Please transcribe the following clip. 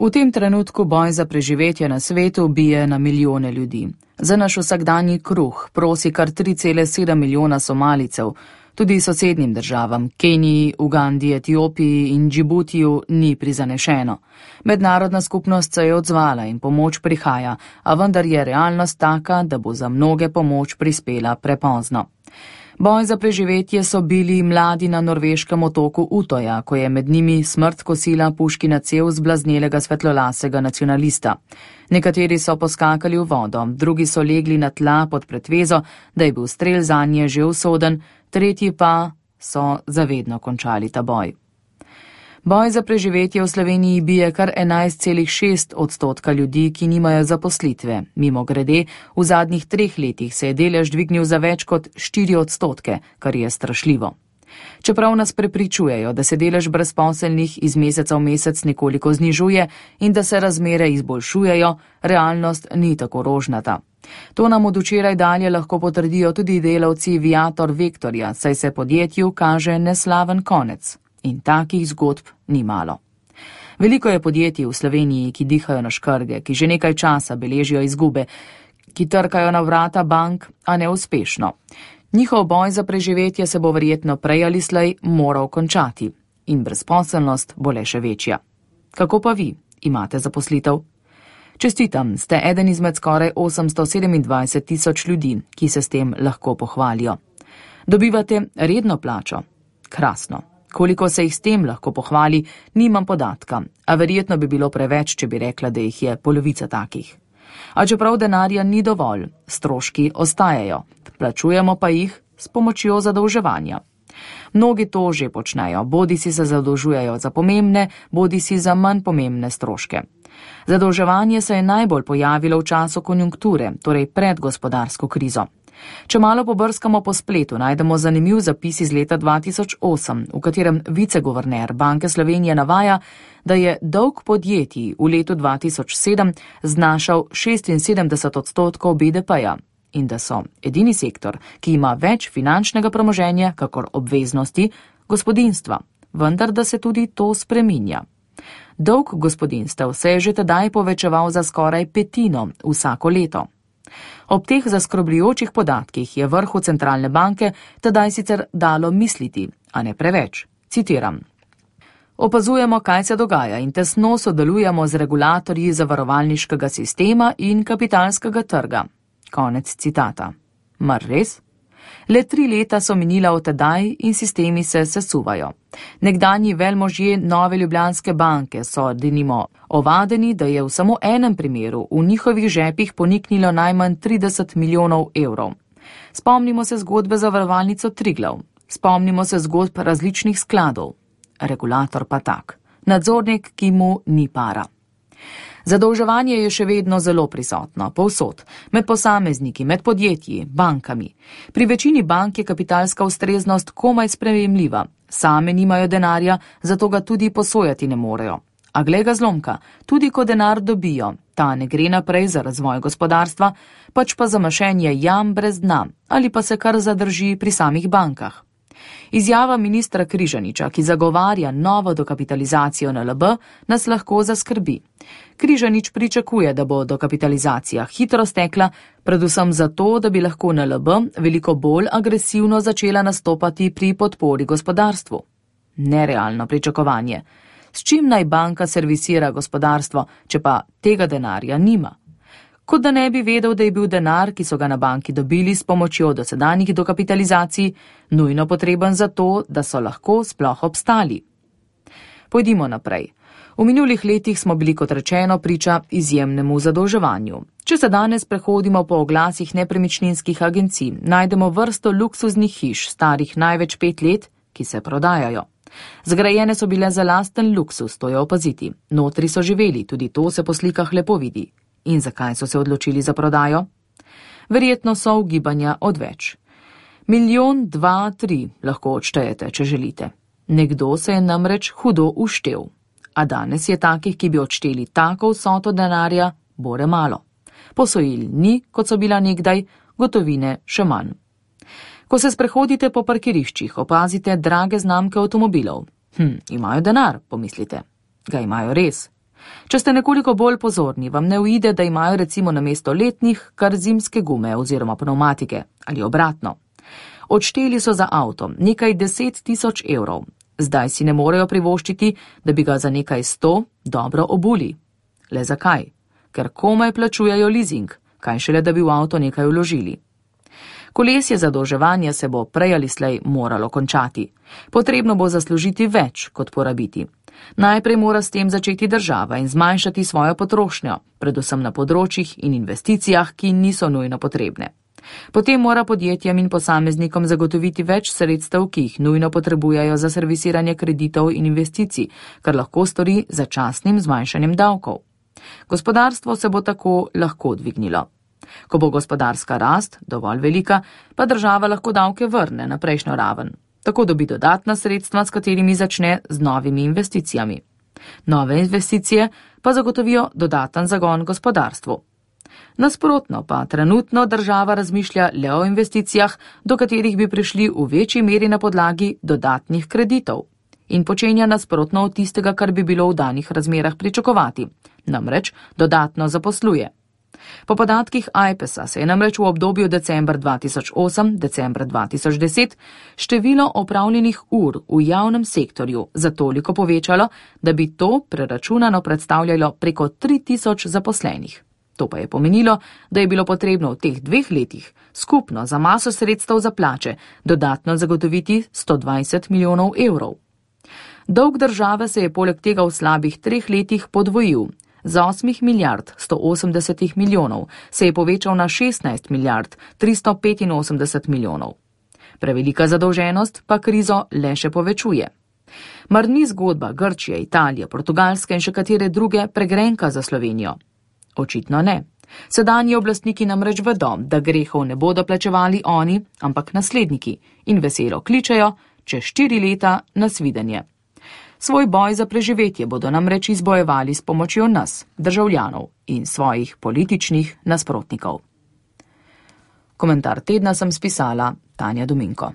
V tem trenutku boj za preživetje na svetu bije na milijone ljudi. Za naš vsakdanji kruh prosi kar 3,7 milijona Somalijcev. Tudi sosednjim državam, Keniji, Ugandi, Etiopiji in Džibutiju, ni prizanešeno. Mednarodna skupnost se je odzvala in pomoč prihaja, a vendar je realnost taka, da bo za mnoge pomoč prispela prepozno. Boj za preživetje so bili mladi na norveškem otoku Utoja, ko je med njimi smrt kosila puškina cev zblaznelega svetlolasega nacionalista. Nekateri so poskakali v vodo, drugi so legli na tla pod pretvezo, da je bil strel zanje že usoden, tretji pa so zavedno končali ta boj. Boj za preživetje v Sloveniji bije kar 11,6% ljudi, ki nimajo zaposlitve. Mimogrede, v zadnjih 3 letih se je delež dvignil za več kot 4%, kar je strašljivo. Čeprav nas prepričujejo, da se delež brezposelnih iz meseca v mesec nekoliko znižuje in da se razmere izboljšujejo, realnost ni tako rožnata. To nam od včeraj dalje lahko potrdijo tudi delavci Viator Vektorja, saj se podjetju kaže neslaven konec. In takih zgodb ni malo. Veliko je podjetij v Sloveniji, ki dihajo na škrge, ki že nekaj časa beležijo izgube, ki trkajo na vrata bank, a neuspešno. Njihov boj za preživetje se bo verjetno prej ali slej moral končati in brezposelnost bo le še večja. Kako pa vi? Imate zaposlitev? Čestitam, ste eden izmed skoraj 827 tisoč ljudi, ki se s tem lahko pohvalijo. Dobivate redno plačo? Krasno. Koliko se jih s tem lahko pohvali, nimam podatka, a verjetno bi bilo preveč, če bi rekla, da jih je polovica takih. A čeprav denarja ni dovolj, stroški ostajajo, plačujemo pa jih s pomočjo zadolževanja. Mnogi to že počnejo, bodisi se zadolžujejo za pomembne, bodisi za manj pomembne stroške. Zadolževanje se je najbolj pojavilo v času konjunkture, torej pred gospodarsko krizo. Če malo pobrskamo po spletu, najdemo zanimiv zapis iz leta 2008, v katerem viceguverner Banke Slovenije navaja, da je dolg podjetij v letu 2007 znašal 76% BDP-ja in da so edini sektor, ki ima več finančnega premoženja kakor obveznosti, gospodinjstva, vendar da se tudi to spreminja. Dolg gospodinjstev se je že tedaj povečeval za skoraj 1/5 vsako leto. Ob teh zaskrbljujočih podatkih je vrhu centralne banke tedaj sicer dalo misliti, a ne preveč. Citiram. Opazujemo, kaj se dogaja in tesno sodelujemo z regulatorji zavarovalniškega sistema in kapitalskega trga. Konec citata. Mar res? Le 3 leta so minila od tedaj in sistemi se sesuvajo. Nekdanji velmožje Nove Ljubljanske banke so denimo ovadeni, da je v samo enem primeru v njihovih žepih poniknilo najmanj 30 milijonov evrov. Spomnimo se zgodbe zavarovalnico Triglav, spomnimo se zgodb različnih skladov. Regulator pa tak. Nadzornik, ki mu ni para. Zadolževanje je še vedno zelo prisotno, povsod, med posamezniki, med podjetji, bankami. Pri večini bank je kapitalska ustreznost komaj sprejemljiva, same nimajo denarja, zato ga tudi posojati ne morejo. A glej ga zlomka, tudi ko denar dobijo, ta ne gre naprej za razvoj gospodarstva, pač pa za mašenje jam brez dna ali pa se kar zadrži pri samih bankah. Izjava ministra Križaniča, ki zagovarja novo dokapitalizacijo NLB, nas lahko zaskrbi. Križanič pričakuje, da bo dokapitalizacija hitro stekla, predvsem zato, da bi lahko NLB veliko bolj agresivno začela nastopati pri podpori gospodarstvu. Nerealno pričakovanje. S čim naj banka servisira gospodarstvo, če pa tega denarja nima? Kot da ne bi vedel, da je bil denar, ki so ga na banki dobili s pomočjo dosedanjih dokapitalizacij, nujno potreben za to, da so lahko sploh obstali. Pojdimo naprej. V minulih letih smo bili, kot rečeno, priča izjemnemu zadolževanju. Če se danes prehodimo po oglasih nepremičninskih agencij, najdemo vrsto luksuznih hiš, starih največ 5 let, ki se prodajajo. Zgrajene so bile za lasten luksus, to je opaziti. Notri so živeli, tudi to se po slikah lepo vidi. In zakaj so se odločili za prodajo? Verjetno so ugibanja odveč. 1 milijon, 2, 3 lahko odštejete, če želite. Nekdo se je namreč hudo uštel. A danes je takih, ki bi odšteli tako vsoto denarja, bore malo. Posojil ni, kot so bila nekdaj, gotovine še manj. Ko se sprehodite po parkiriščih, opazite drage znamke avtomobilov. Imajo denar, pomislite. Ga imajo res. Če ste nekoliko bolj pozorni, vam ne uide, da imajo recimo namesto letnih kar zimske gume oziroma pneumatike ali obratno. Odšteli so za avto nekaj 10 000 evrov. Zdaj si ne morejo privoščiti, da bi ga za nekaj 100 dobro obuli. Le zakaj? Ker komaj plačujejo lizing, kaj šele, da bi v avto nekaj vložili. Kolesje zadolževanja se bo prej ali slej moralo končati. Potrebno bo zaslužiti več kot porabiti. Najprej mora s tem začeti država in zmanjšati svojo potrošnjo, predvsem na področjih in investicijah, ki niso nujno potrebne. Potem mora podjetjem in posameznikom zagotoviti več sredstev, ki jih nujno potrebujejo za servisiranje kreditov in investicij, kar lahko stori z začasnim zmanjšanjem davkov. Gospodarstvo se bo tako lahko dvignilo. Ko bo gospodarska rast dovolj velika, pa država lahko davke vrne na prejšnjo raven. Tako dobi dodatna sredstva, s katerimi začne z novimi investicijami. Nove investicije pa zagotovijo dodaten zagon gospodarstvu. Nasprotno pa trenutno država razmišlja le o investicijah, do katerih bi prišli v večji meri na podlagi dodatnih kreditov. In počenja nasprotno od tistega, kar bi bilo v danih razmerah pričakovati. Namreč dodatno zaposluje. Po podatkih AJPES-a se je namreč v obdobju decembra 2008-decembra 2010 število opravljenih ur v javnem sektorju za toliko povečalo, da bi to preračunano predstavljalo preko 3000 zaposlenih. To pa je pomenilo, da je bilo potrebno v teh 2 letih skupno za maso sredstev za plače dodatno zagotoviti 120 milijonov evrov. Dolg države se je poleg tega v slabih 3 letih podvojil. Z 8 milijard 180 milijonov se je povečal na 16 milijard 385 milijonov. Prevelika zadolženost pa krizo le še povečuje. Mar ni zgodba Grčije, Italije, Portugalske in še katere druge pregrenka za Slovenijo? Očitno ne. Sedanji oblastniki namreč vedo, da grehov ne bodo plačevali oni, ampak nasledniki in veselo kličejo čez 4 leta nasvidenje. Svoj boj za preživetje bodo namreč izbojevali s pomočjo nas, državljanov in svojih političnih nasprotnikov. Komentar tedna sem spisala Tanja Dominko.